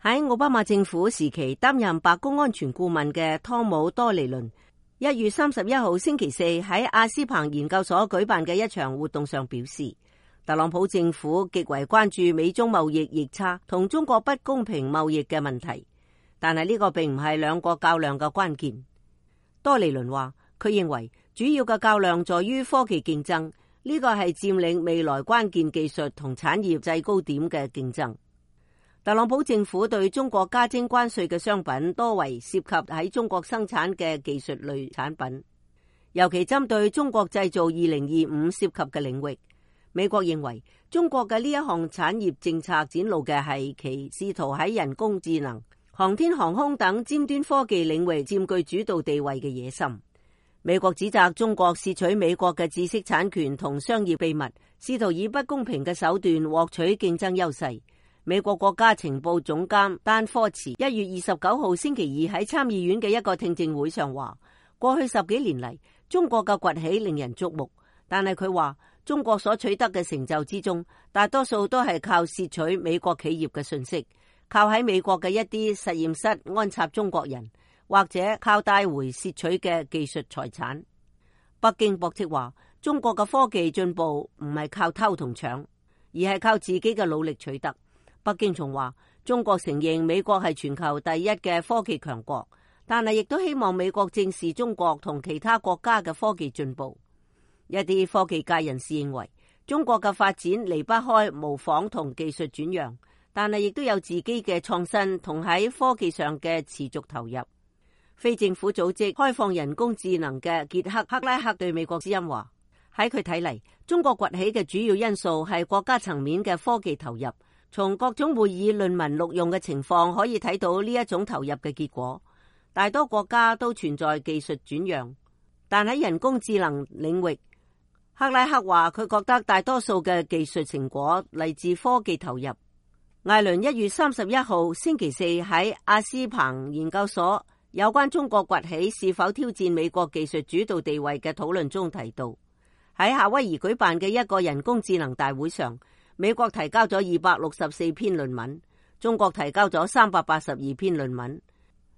喺奧巴馬政府時期擔任白宮安全顧問嘅湯姆多尼倫1月31號星期四喺阿斯彭研究所舉辦嘅一場活動上表示，特朗普政府極為關注美中貿易逆差同中國不公平貿易嘅問題，但係呢個並唔係兩國較量嘅關鍵。多尼倫話，佢認為主要嘅較量在於科技競爭，呢個係佔領未來關鍵技術同產業制高點嘅競爭。特朗普政府對中國加徵關稅嘅商品多為涉及喺中國生產嘅技術類產品，尤其針對中國製造2025涉及嘅領域。美國認為中國嘅呢一項產業政策展露嘅係其試圖喺人工智能、航天航空等尖端科技領域佔據主導地位嘅野心。美國指責中國竊取美國嘅知識產權同商業秘密，試圖以不公平嘅手段獲取競爭優勢。美國國家情報總監丹科茨1月29號星期二喺參議院嘅一個聽證會上話，過去10幾年嚟，中國嘅崛起令人矚目，但係佢話中國所取得嘅成就之中，大多數都係靠竊取美國企業嘅信息，靠喺美國嘅一啲實驗室安插中國人，或者靠帶回竊取嘅技術財產。北京駁斥話，中國嘅科技進步唔係靠偷同搶，而係靠自己嘅努力取得。北京仲話，中國承認美國係全球第一嘅科技強國，但係亦都希望美國正視中國同其他國家嘅科技進步。一啲科技界人士認為，中國嘅發展離不開模仿同技術轉讓，但係亦都有自己嘅創新同喺科技上嘅持續投入。非政府組織開放人工智能嘅傑克克拉克對美國之音話，喺佢睇嚟，中國崛起嘅主要因素係國家層面嘅科技投入。從各種會議論文錄用嘅情況可以睇到呢一種投入嘅結果。大多國家都存在技術轉讓，但喺人工智能領域，克拉克話佢覺得大多數嘅技術成果嚟自科技投入。艾倫1月31號星期四喺阿斯彭研究所有關中國崛起是否挑戰美國技術主導地位嘅討論中提到，喺夏威夷舉辦嘅一個人工智能大會上，美國提交咗264篇論文，中國提交咗382篇論文。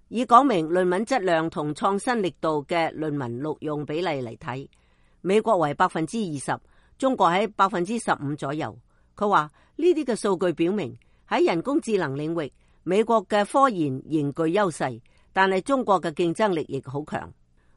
以講明論文質量同創新力度嘅論文錄用比例嚟睇，美國為 20%， 中國喺 15% 左右。佢話呢啲嘅數據表明喺人工智能領域，美國嘅科研仍具優勢，但係中國嘅競爭力亦好強。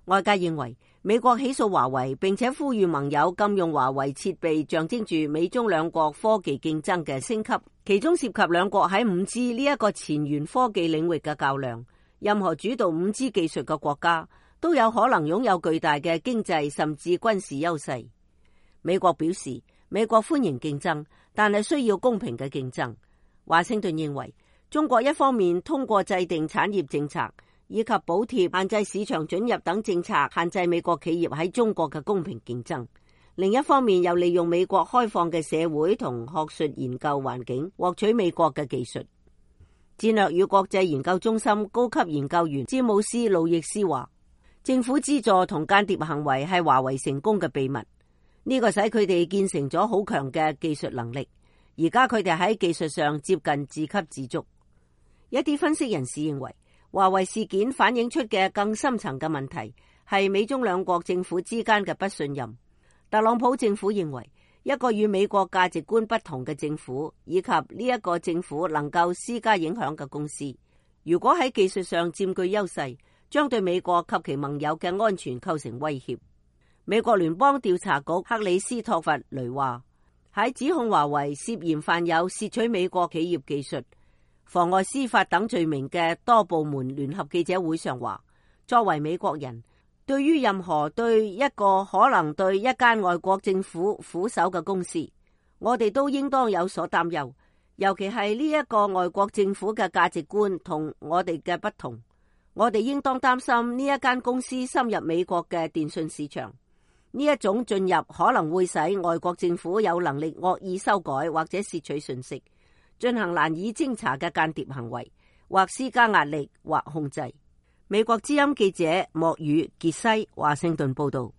外界認為美國起訴華為，並且呼籲盟友禁用華為設備，象徵住美中兩國科技競爭嘅升級，其中涉及兩國喺 5G 呢一個前沿科技領域嘅較量。任何主導 5G 技術嘅國家都有可能擁有巨大嘅經濟甚至軍事優勢。美國表示，美國歡迎競爭，但係需要公平嘅競爭。華盛頓認為，中國一方面通過制定產業政策以及補貼、限制市場准入等政策，限制美國企業喺中國嘅公平競爭；另一方面，又利用美國開放嘅社會同學術研究環境，獲取美國嘅技術。戰略與國際研究中心高級研究員詹姆斯·路易斯話，政府資助同間諜行為係華為成功嘅秘密，呢個使佢哋建成咗好強嘅技術能力。而家佢哋喺技術上接近自給自足。一啲分析人士認為，華為事件反映出嘅更深層嘅問題係美中兩國政府之間嘅不信任。特朗普政府認為，一個與美國價值觀不同嘅政府，以及呢一個政府能夠施加影響嘅公司，如果喺技術上佔據優勢，將對美國及其盟友嘅安全構成威脅。美國聯邦調查局克里斯托弗雷話，喺指控華為涉嫌犯有竊取美國企業技術、妨礙司法等罪名嘅多部門聯合記者會上話，作為美國人，對於任何對一個可能對一間外國政府俯首嘅公司，我哋都應當有所擔憂，尤其係呢一個外國政府嘅價值觀同我哋嘅不同。我哋應當擔心呢一間公司深入美國嘅電信市場，呢一種進入可能會使外國政府有能力惡意修改或者竊取信息，進行難以偵查嘅間諜行為，或施加壓力或控制。美國之音記者莫語傑西華盛頓報道。